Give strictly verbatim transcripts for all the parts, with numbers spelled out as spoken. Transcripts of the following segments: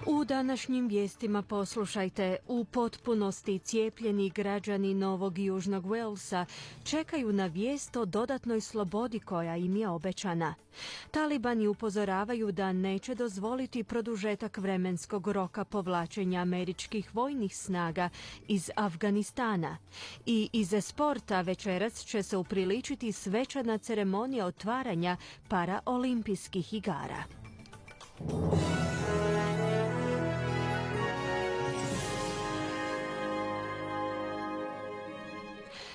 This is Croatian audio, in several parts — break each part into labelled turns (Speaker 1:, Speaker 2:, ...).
Speaker 1: U današnjim vijestima poslušajte, u potpunosti cijepljeni građani Novog i Južnog Walesa čekaju na vijest o dodatnoj slobodi koja im je obećana. Talibani upozoravaju da neće dozvoliti produžetak vremenskog roka povlačenja američkih vojnih snaga iz Afganistana. I iz sporta večeras će se upriličiti svečana ceremonija otvaranja paraolimpijskih igara.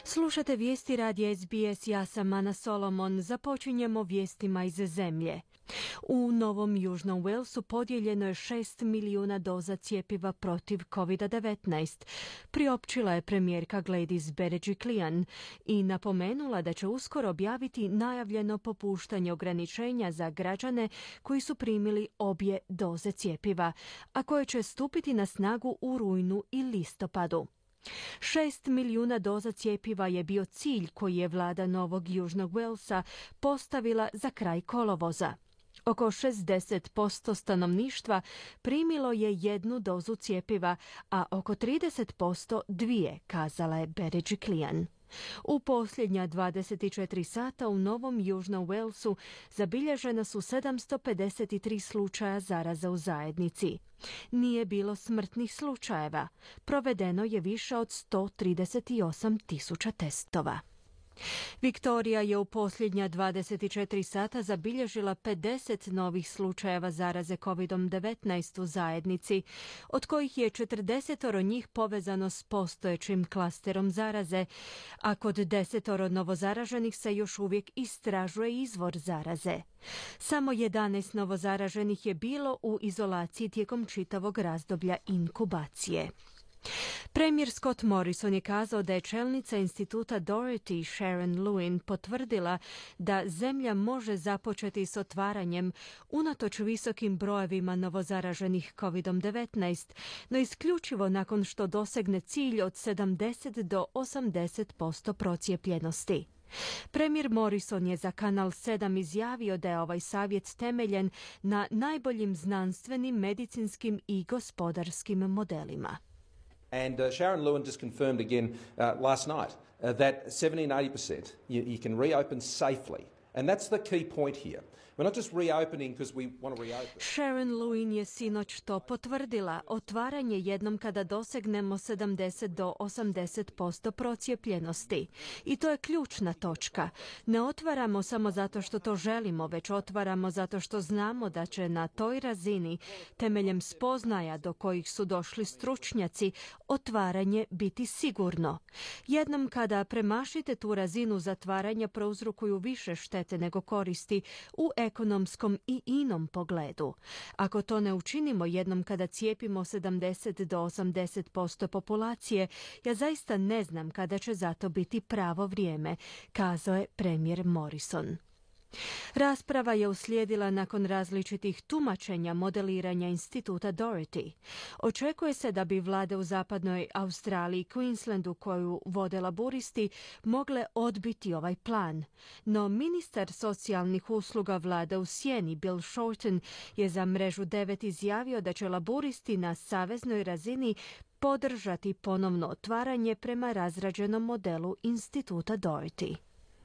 Speaker 1: Slušate vijesti radija S B S, ja sam Ana Solomon. Započinjemo vijestima iz zemlje. U Novom Južnom Walesu podijeljeno je šest milijuna doza cjepiva protiv covid devetnaest, priopćila je premijerka Gladys Berejiklian i napomenula da će uskoro objaviti najavljeno popuštanje ograničenja za građane koji su primili obje doze cjepiva, a koje će stupiti na snagu u rujnu i listopadu. Šest milijuna doza cjepiva je bio cilj koji je vlada Novog Južnog Walesa postavila za kraj kolovoza. Oko šezdeset posto stanovništva primilo je jednu dozu cjepiva, a oko trideset posto dvije, kazala je Berejiklian. U posljednja dvadeset četiri sata u Novom Južnom Walesu zabilježena su sedamsto pedeset tri slučaja zaraze u zajednici. Nije bilo smrtnih slučajeva. Provedeno je više od sto trideset osam tisuća testova. Viktorija je u posljednja dvadeset četiri sata zabilježila pedeset novih slučajeva zaraze covid devetnaest u zajednici, od kojih je četrdesetoro njih povezano s postojećim klasterom zaraze, a kod desetoro novozaraženih se još uvijek istražuje izvor zaraze. Samo jedanaest novozaraženih je bilo u izolaciji tijekom čitavog razdoblja inkubacije. Premijer Scott Morrison je kazao da je čelnica instituta Doherty Sharon Lewin potvrdila da zemlja može započeti s otvaranjem unatoč visokim brojevima novozaraženih covid devetnaest, no isključivo nakon što dosegne cilj od sedamdeset do osamdeset posto procijepljenosti. Premijer Morrison je za Kanal sedam izjavio da je ovaj savjet temeljen na najboljim znanstvenim, medicinskim i gospodarskim modelima.
Speaker 2: And uh, Sharon Lewin just confirmed again uh, last night uh, that seventy and eighty percent you, you can reopen safely. And that's the key point here. We're not just reopening because we want to reopen.
Speaker 1: Sharon Lewin je sinoć to potvrdila. Otvaranje jednom kada dosegnemo sedamdeset do osamdeset posto procijepljenosti. I to je ključna točka. Ne otvaramo samo zato što to želimo, već otvaramo zato što znamo da će na toj razini, temeljem spoznaja do kojih su došli stručnjaci, otvaranje biti sigurno. Jednom kada premašite tu razinu, zatvaranja prouzrokuju više štete nego koristi u ekonomskom i inom pogledu. Ako to ne učinimo jednom kada cijepimo sedamdeset do osamdeset posto populacije, ja zaista ne znam kada će za to biti pravo vrijeme, kazao je premijer Morrison. Rasprava je uslijedila nakon različitih tumačenja modeliranja instituta Doherty. Očekuje se da bi vlade u zapadnoj Australiji i Queenslandu koju vode laburisti mogle odbiti ovaj plan. No ministar socijalnih usluga vlade u sjeni Bill Shorten je za mrežu devet izjavio da će laburisti na saveznoj razini podržati ponovno otvaranje prema razrađenom modelu instituta Doherty.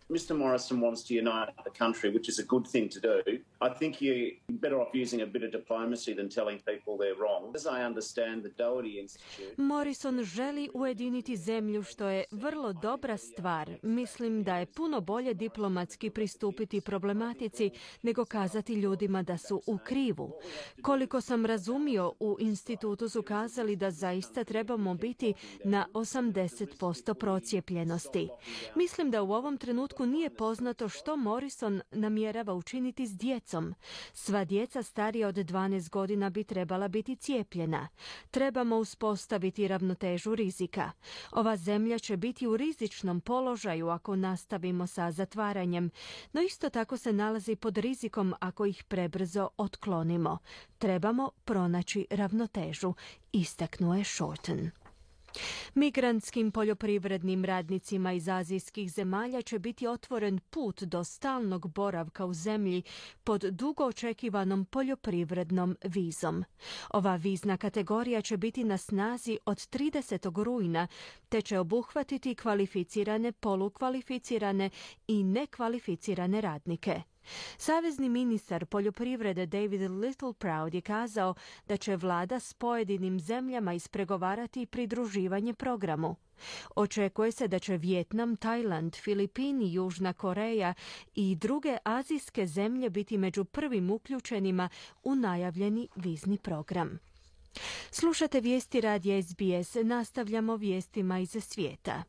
Speaker 3: Mister Morrison wants to unite the country, which is a good thing to do. I think you're better off using a bit of diplomacy than telling people they're wrong. As I understand, the Doherty Institute...
Speaker 1: Morrison želi ujediniti zemlju, što je vrlo dobra stvar. Mislim da je puno bolje diplomatski pristupiti problematici nego kazati ljudima da su u krivu. Koliko sam razumio, u institutu su kazali da zaista trebamo biti na osamdeset posto procijepljenosti. Mislim da u ovom trenutku nije poznato što Morrison namjerava učiniti s djecom. Sva djeca starija od dvanaest godina bi trebala biti cijepljena. Trebamo uspostaviti ravnotežu rizika. Ova zemlja će biti u rizičnom položaju ako nastavimo sa zatvaranjem, no isto tako se nalazi pod rizikom ako ih prebrzo otklonimo. Trebamo pronaći ravnotežu, istaknuo je Shorten. Migrantskim poljoprivrednim radnicima iz azijskih zemalja će biti otvoren put do stalnog boravka u zemlji pod dugo očekivanom poljoprivrednom vizom. Ova vizna kategorija će biti na snazi od tridesetog rujna, te će obuhvatiti kvalificirane, polukvalificirane i nekvalificirane radnike. Savezni ministar poljoprivrede David Littleproud je kazao da će vlada s pojedinim zemljama ispregovarati pridruživanje programu. Očekuje se da će Vijetnam, Tajland, Filipini, Južna Koreja i druge azijske zemlje biti među prvim uključenima u najavljeni vizni program. Slušate vijesti radija S B S, nastavljamo vijestima iz svijeta.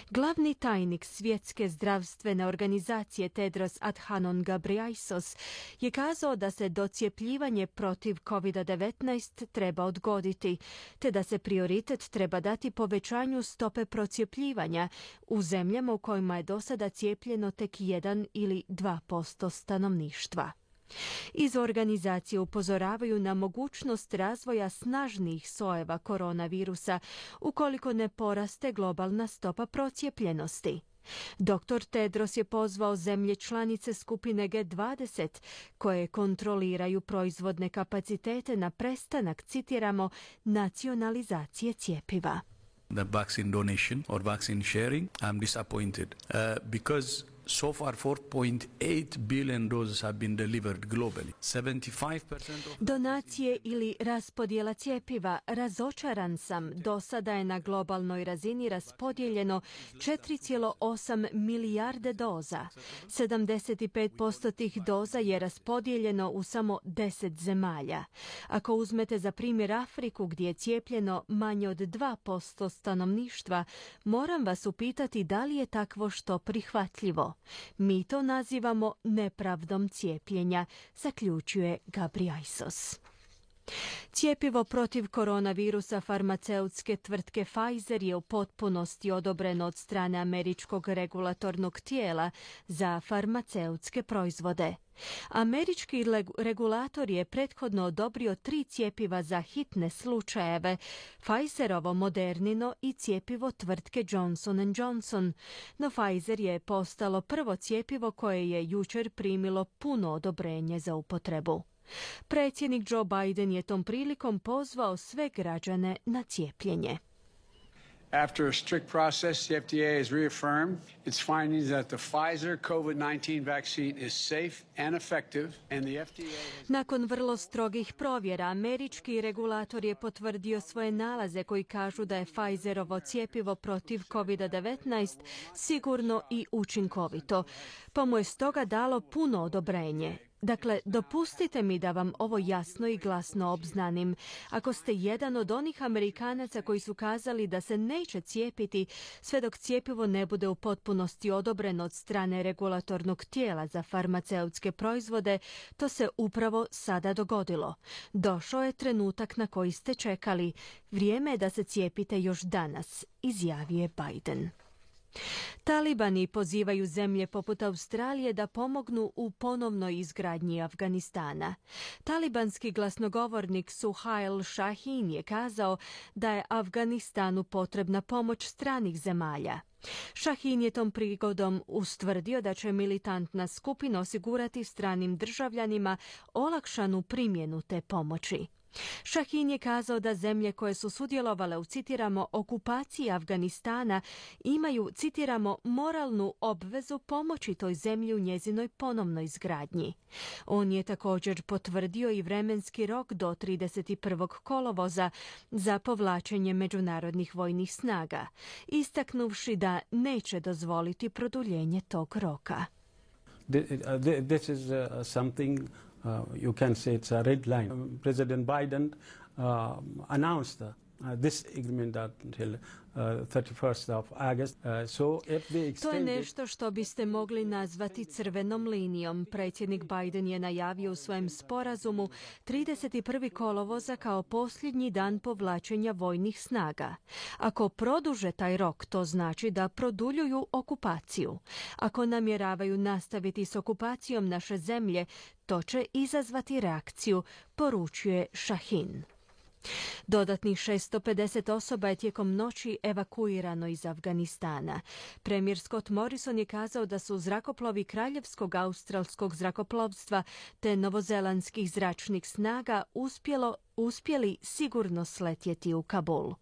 Speaker 1: Glavni tajnik Svjetske zdravstvene organizacije Tedros Adhanom Ghebreyesus je kazao da se docjepljivanje protiv kovid devetnaest treba odgoditi, te da se prioritet treba dati povećanju stope procjepljivanja u zemljama u kojima je do sada cijepljeno tek jedan ili dva posto stanovništva. Iz organizacije upozoravaju na mogućnost razvoja snažnijih sojeva koronavirusa ukoliko ne poraste globalna stopa procijepljenosti. doktor Tedros je pozvao zemlje članice skupine G dvadeset koje kontroliraju proizvodne kapacitete na prestanak, citiramo, nacionalizacije cjepiva.
Speaker 4: The vaccine donation or vaccine sharing, I'm disappointed uh, because so far four point eight billion doses have been delivered globally. seventy-five percent of
Speaker 1: Donacije ili raspodjela cjepiva. Razočaran sam. Do sada je na globalnoj razini raspodijeljeno četiri zarez osam milijarde doza. sedamdeset pet posto tih doza je raspodijeljeno u samo deset zemalja. Ako uzmete za primjer Afriku gdje je cijepljeno manje od dva posto stanovništva, moram vas upitati da li je takvo što prihvatljivo. Mi to nazivamo nepravdom cijepljenja, zaključuje Ghebreyesus. Cjepivo protiv koronavirusa farmaceutske tvrtke Pfizer je u potpunosti odobreno od strane američkog regulatornog tijela za farmaceutske proizvode. Američki regulator je prethodno odobrio tri cjepiva za hitne slučajeve, Pfizerovo Modernino i cjepivo tvrtke Johnson and Johnson, no Pfizer je postalo prvo cjepivo koje je jučer primilo puno odobrenje za upotrebu. Predsjednik Joe Biden je tom prilikom pozvao sve građane na cijepljenje.
Speaker 5: After a strict process, the F D A has reaffirmed its findings that the Pfizer COVID nineteen vaccine is safe and effective, and the F D A has...
Speaker 1: Nakon vrlo strogih provjera, američki regulator je potvrdio svoje nalaze koji kažu da je Pfizerovo cjepivo protiv kovid devetnaest sigurno i učinkovito, pa mu je stoga dalo puno odobrenje. Dakle, dopustite mi da vam ovo jasno i glasno obznanim. Ako ste jedan od onih Amerikanaca koji su kazali da se neće cijepiti sve dok cjepivo ne bude u potpunosti odobreno od strane regulatornog tijela za farmaceutske proizvode, to se upravo sada dogodilo. Došao je trenutak na koji ste čekali. Vrijeme je da se cijepite još danas, izjavio je Biden. Talibani pozivaju zemlje poput Australije da pomognu u ponovnoj izgradnji Afganistana. Talibanski glasnogovornik Suhail Shahin je kazao da je Afganistanu potrebna pomoć stranih zemalja. Shahin je tom prigodom ustvrdio da će militantna skupina osigurati stranim državljanima olakšanu primjenu te pomoći. Shahin je kazao da zemlje koje su sudjelovale u, citiramo, okupaciji Afganistana imaju, citiramo, moralnu obvezu pomoći toj zemlji u njezinoj ponovnoj izgradnji. On je također potvrdio i vremenski rok do trideset prvog kolovoza za povlačenje međunarodnih vojnih snaga, istaknuvši da neće dozvoliti produljenje tog roka.
Speaker 6: This is uh, something Uh, you can say it's a red line. Um, President Biden uh, announced uh, this agreement until uh, thirty-first of August. Uh, so if they extend
Speaker 1: to je nešto što biste mogli nazvati crvenom linijom. Predsjednik Biden je najavio u svojem sporazumu trideset prvog kolovoza kao posljednji dan povlačenja vojnih snaga. Ako produže taj rok, to znači da produljuju okupaciju. Ako namjeravaju nastaviti s okupacijom naše zemlje, to će izazvati reakciju, poručuje Shahin. Dodatnih šesto pedeset osoba je tijekom noći evakuirano iz Afganistana. Premijer Scott Morrison je kazao da su zrakoplovi Kraljevskog australskog zrakoplovstva te novozelandskih zračnih snaga uspjelo uspjeli sigurno sletjeti u Kabul.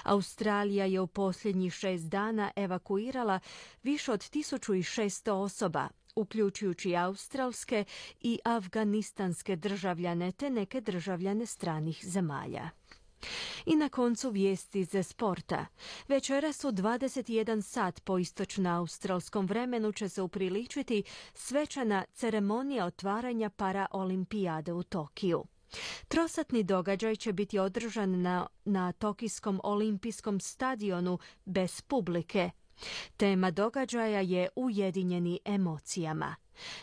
Speaker 1: Australija je u posljednjih šest dana evakuirala više od tisuću šesto osoba, uključujući australske i afganistanske državljane te neke državljane stranih zemalja. I na koncu vijesti iz sporta. Večeras u dvadeset jedan sat po istočno-australskom vremenu će se upriličiti svečana ceremonija otvaranja paraolimpijade u Tokiju. Trosatni događaj će biti održan na, na Tokijskom olimpijskom stadionu bez publike. Tema događaja je Ujedinjeni emocijama.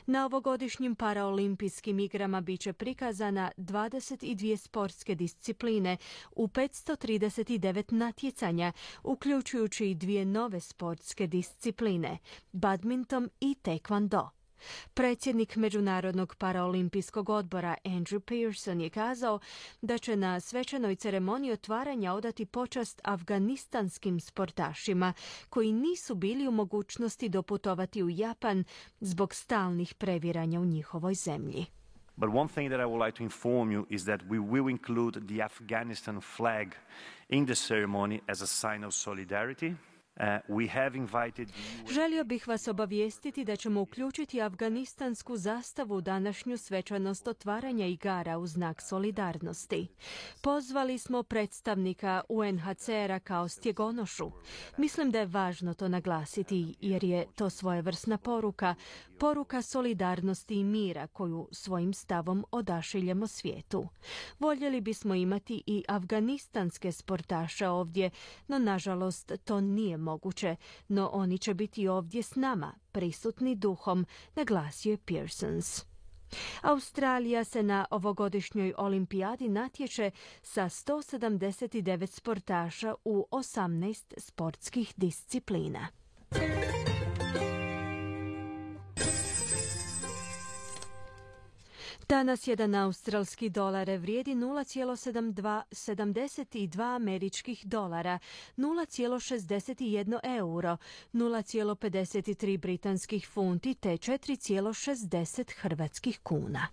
Speaker 1: Na ovogodišnjim paraolimpijskim igrama bit će prikazana dvadeset dvije sportske discipline u petsto trideset devet natjecanja, uključujući i dvije nove sportske discipline, badminton i taekwondo. Predsjednik Međunarodnog paraolimpijskog odbora Andrew Pearson je kazao da će na svečanoj ceremoniji otvaranja odati počast afganistanskim sportašima koji nisu bili u mogućnosti doputovati u Japan zbog stalnih previranja u njihovoj zemlji.
Speaker 7: But one thing that I would like to inform you is that we will include the Afghanistan flag in the ceremony as a sign of solidarity. Uh, we have invited the...
Speaker 1: Želio bih vas obavijestiti da ćemo uključiti afganistansku zastavu u današnju svečanost otvaranja igara u znak solidarnosti. Pozvali smo predstavnika U N H C R-a kao stjegonošu. Mislim da je važno to naglasiti jer je to svojevrsna poruka, poruka solidarnosti i mira koju svojim stavom odašiljemo svijetu. Voljeli bismo imati i afganistanske sportaše ovdje, no nažalost to nije moguće, no oni će biti ovdje s nama, prisutni duhom, naglasio je Pearsons. Australija se na ovogodišnjoj olimpijadi natječe sa sto sedamdeset devet sportaša u osamnaest sportskih disciplina. Danas jedan australski dolar vrijedi nula zarez sedamdeset dva američkih dolara, nula zarez šezdeset jedan euro, nula zarez pedeset tri britanskih funti te četiri zarez šezdeset hrvatskih kuna.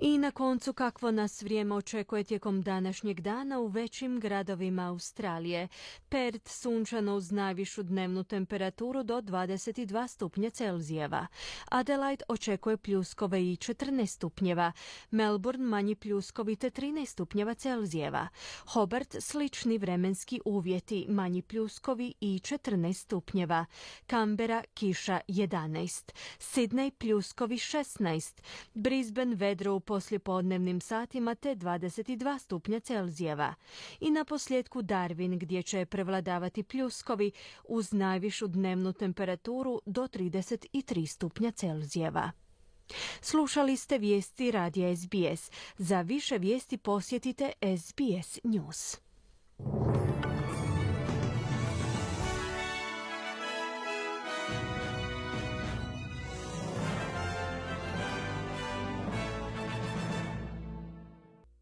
Speaker 1: I na koncu kakvo nas vrijeme očekuje tijekom današnjeg dana u većim gradovima Australije. Perth sunčano uz najvišu dnevnu temperaturu do dvadeset dva stupnja Celzijeva. Adelaide očekuje pljuskove i četrnaest stupnjeva. Melbourne manji pljuskovi te trinaest stupnjeva Celzijeva. Hobart slični vremenski uvjeti, manji pljuskovi i četrnaest stupnjeva. Canberra kiša jedanaest. Sydney pljuskovi šesnaest. Brisbane vedro u poslijepodnevnim satima te dvadeset dva stupnja Celzijeva. I na posljedku Darwin gdje će prevladavati pljuskovi uz najvišu dnevnu temperaturu do trideset tri stupnja Celzijeva. Slušali ste vijesti radija S B S. Za više vijesti posjetite S B S News.